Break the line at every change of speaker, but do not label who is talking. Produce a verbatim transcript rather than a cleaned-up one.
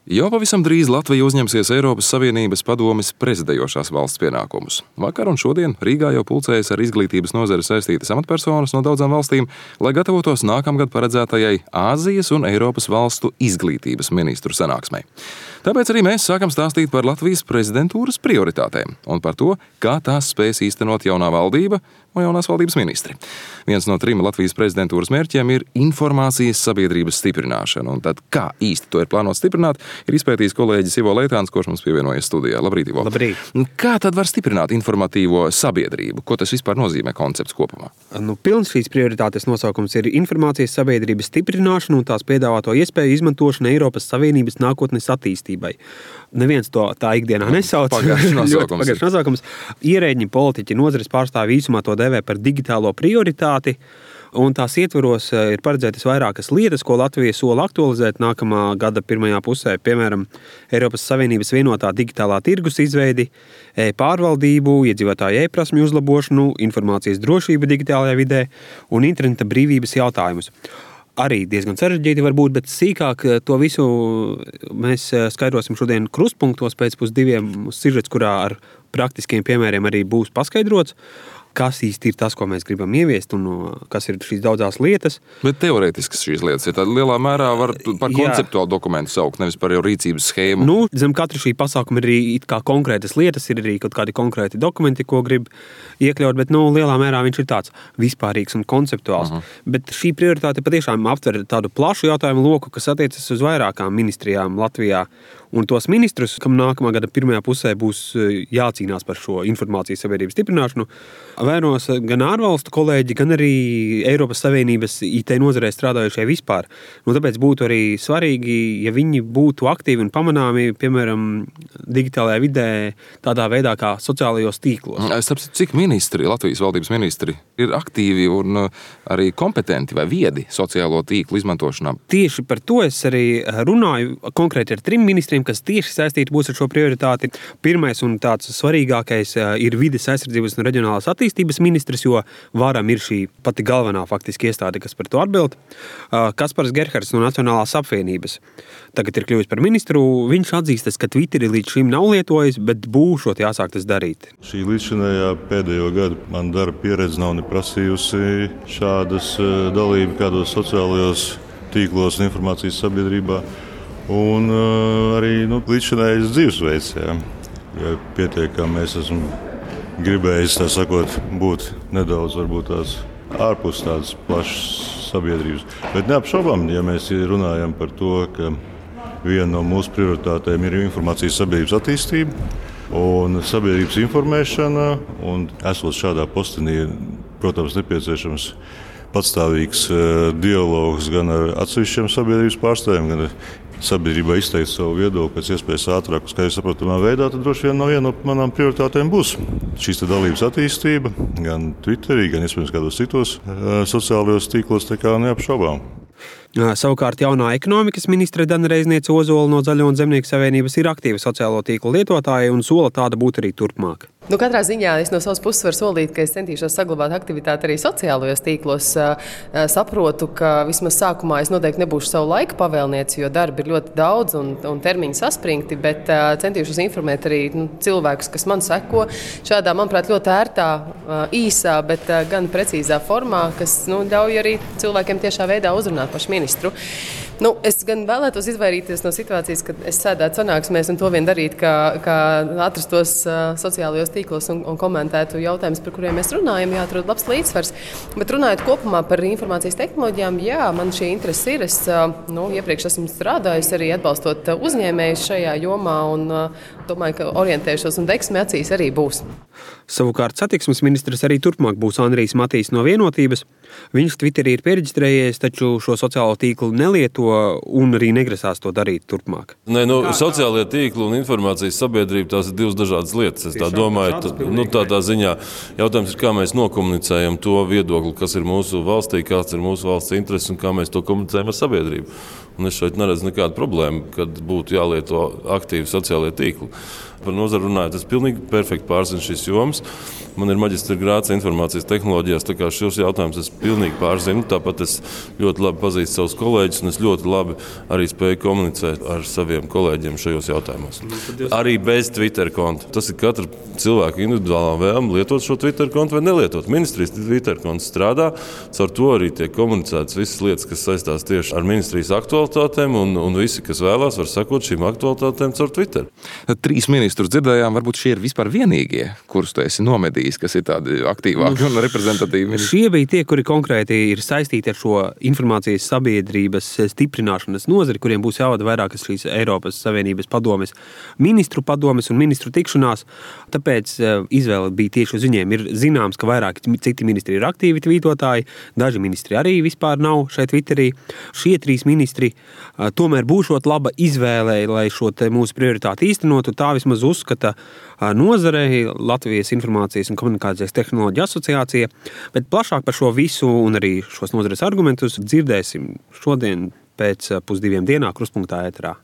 Jau pavisam drīz Latvija uzņemsies Eiropas Savienības padomes prezidējošās valsts pienākumus. Vakar un šodien Rīgā jau pulcējas ar izglītības nozari saistītas amatpersonas no daudzām valstīm, lai gatavotos nākamgad paredzētajai Āzijas un Eiropas valstu izglītības ministru sanāksmei. Tāpēc arī mēs sākam stāstīt par Latvijas prezidentūras prioritātēm un par to, kā tās spēs īstenot jaunā valdība un jaunās valdības ministri. Viens no trim Latvijas prezidentūras mērķiem ir informācijas sabiedrības stiprināšana, un tad kā īsti to ir plānots stiprināt, ir izpētījis kolēģis Ivo Leitāns, kurš mums pievienojas studijā. Labrīt, Ivo.
Labrīt.
Kā tad var stiprināt informatīvo sabiedrību? Ko tas vispār nozīmē koncepts kopumā?
Nu, pilns šīs prioritātes nosaukums ir informācijas sabiedrības stiprināšana un tās piedāvāto iespēju izmantošana Eiropas Savienības nākotnes attīstībai. Neviens to tā ikdienā nesauc.
Pagaišs nosaukums.
Pagaišs nosaukums. Ierēģi, politiķi, nozares pārstāvji īsumā to dēvē par digitālo prioritāti. Un tās ietvaros ir paredzētas vairākas lietas, ko Latvija sola aktualizēt nākamā gada pirmajā pusē. Piemēram, Eiropas Savienības vienotā digitālā tirgus izveidi, e-pārvaldību, iedzīvotāju e-prasmju uzlabošanu, informācijas drošību digitālajā vidē un interneta brīvības jautājumus. Arī diezgan sarežģīti varbūt, bet sīkāk to visu mēs skaidrosim šodien krustpunktos pēc pusdiviem sižets, kurā ar praktiskiem piemēriem arī būs paskaidrots, kas īsti ir tas, ko mēs gribam ieviest un kas ir šīs daudzās lietas.
Bet teorētiskas šīs lietas ir tāda lielā mērā var par konceptuālu dokumentu saukt, nevis par jau rīcības schēmu.
Nu, zem katra šī pasākuma ir arī it kā konkrētas lietas, ir arī kaut kādi konkrēti dokumenti, ko grib iekļaut, bet nu, lielā mērā viņš ir tāds vispārīgs un konceptuāls. Uh-huh. Bet šī prioritāte patiešām aptver tādu plašu jautājumu loku, kas attiecas uz vairākām ministrijām Latvijā. Un tos ministrus, kam nākamā gada pirmajā pusē būs jācīnās par šo informācijas sabiedrības stiprināšanu, vainos gan ārvalstu kolēģi, gan arī Eiropas Savienības I T nozarē strādājušie vispār. Nu, tāpēc būtu arī svarīgi, ja viņi būtu aktīvi un pamanāmi, piemēram, digitālajā vidē, tādā veidā kā sociālajos tīklos.
Es saprotu, cik ministri, Latvijas valdības ministri, ir aktīvi un arī kompetenti vai viedi sociālo tīklu izmantošanā.
Tieši par to es arī runāju konkrēti ar trim ministriem, kas tieši saistīti būs ar šo prioritāti. Pirmais un tāds svarīgākais ir vides aizsardzības un reģionālās attīstības ministrs, jo varam ir šī pati galvenā faktiski iestāde, kas par to atbild. Kaspars Gerhards no Nacionālās apvienības. Tagad ir kļuvis par ministru. Viņš atzīstas, ka Twitteri līdz šim nav lietojis, bet būšot jāsāk tas darīt.
Šī līdzšinējā pēdējo gadu man darba pieredze nav neprasījusi šādas dalību kādos sociālajos tīklos un informācijas sabiedrībā. Un uh, arī nu, līdzšinējais dzīvesveids, jā. Ja pietiek, ka mēs esam gribējis, tā sakot, būt nedaudz varbūt tās ārpus tādas plašas sabiedrības. Bet neapšaubām, ja mēs runājam par to, ka viena no mūsu prioritātēm ir informācijas sabiedrības attīstība un sabiedrības informēšana, un esot šādā postenī, protams, nepieciešams patstāvīgs uh, dialogs gan ar atsevišķiem sabiedrības pārstāvjiem, gan ar sabiedrībā izteikt savu viedokli pēc iespējas ātrāk, kā jau saprotamā veidā, tad droši vien no viena no manām prioritātēm būs šīs dalības attīstība, gan Twitterī, gan iespējams kādos citos uh, sociālajos tīklos, tā kā neapšaubām.
Savukārt jaunā ekonomikas ministre Dana Reizniece Ozola no Zaļo un Zemnieku savienības ir aktīva sociālo tīklu lietotāja un sola tāda būt arī turpmāk.
Nu, katrā ziņā es no savas puses varu solīt, ka es centīšos saglabāt aktivitāti arī sociālajos tīklos. Saprotu, ka vismaz sākumā es noteikti nebūšu savu laiku pavēlnieci, jo darbi ir ļoti daudz un, un termiņi saspringti, bet centīšos informēt arī nu, cilvēkus, kas man seko šādā, manuprāt, ļoti ērtā, īsā, bet gan precīzā formā, kas nu, ļauj arī cilvēkiem tiešā veidā uzrunāt pašu ministru. Nu, es gan vēlētos izvairīties no situācijas, kad es sēdētu sanāksmēs un to vien darītu, kā, kā atrastos uh, sociālajos tīklos un, un komentētu jautājumus, par kuriem mēs runājam, jāatrod labs līdzsvars. Bet runājot kopumā par informācijas tehnoloģijām, jā, man šī interese ir. Es uh, nu, iepriekš esmu strādājusi arī atbalstot uzņēmējus šajā jomā un uh, domāju, ka orientēšos un deksme acīs arī būs.
Savukārt satiksmes ministrs arī turpmāk būs Andrijs Matīs no Vienotības. Viņš Twitterī ir piereģistrējies, taču šo sociālo tīklu nelieto un arī negrasās to darīt turpmāk.
Nē, nu, sociālie tīkli un informācijas sabiedrība, tās ir divas dažādas lietas. Es tā domāju, tā, nu, tādā ziņā jautājums ir, kā mēs nokomunicējam to viedokli, kas ir mūsu valstī, kāds ir mūsu valsts intereses un kā mēs to komunicējam ar sabiedrību. Un es šeit neredzu nekādu problēmu, kad būtu jālieto aktīvi sociālie tīkli. Par nozari runājot, es pilnīgi perfekti pārzinu šīs jomas. Man ir maģistra grāds informācijas tehnoloģijās, tā kā šos jautājumus es pilnīgi pārzinu. Tāpat es ļoti labi pazīstu savus kolēģus, un es ļoti labi arī spēju komunicēt ar saviem kolēģiem šajos jautājumos. Arī bez Twitter konta. Tas ir katra cilvēka individuālā vēlme lietot šo Twitter kontu vai nelietot. Ministrijas Twitter konts strādā, caur to arī tiek komunicētas visas lietas, kas saistās tieši ar ministrijas aktualitātēm, un, un visi, kas vēlās, var sekot šīm aktualitātēm caur Twitter.
Trīs ministrus dzirdējām, varbūt šie ir vispār vienīgie, kurus tu esi nomedījis, kas ir tādi aktīvāki un reprezentatīvi.
Šie bija tie, kuri konkrēti ir saistīti ar šo informācijas sabiedrības stiprināšanas nozari, kuriem būs jāvada vairākas šīs Eiropas Savienības padomes, ministru padomes un ministru tikšanās. Tāpēc izvēle bija tieši uz viņiem. Ir zināms, ka vairāki citi ministri ir aktīvi tvītotāji, daži ministri arī vispār nav šeit Twitterī. Šie trīs ministri tomēr būšot laba izvēlē, lai šo te mūsu prioritāti īstenotu. Tā vismaz uzskata nozarei Latvijas informācijas un komunikācijas tehnoloģiju asociācija, bet plašāk par šo visu un arī šos nozares argumentus dzirdēsim šodien pēc pusdiviem dienā Krustpunktā ēterā.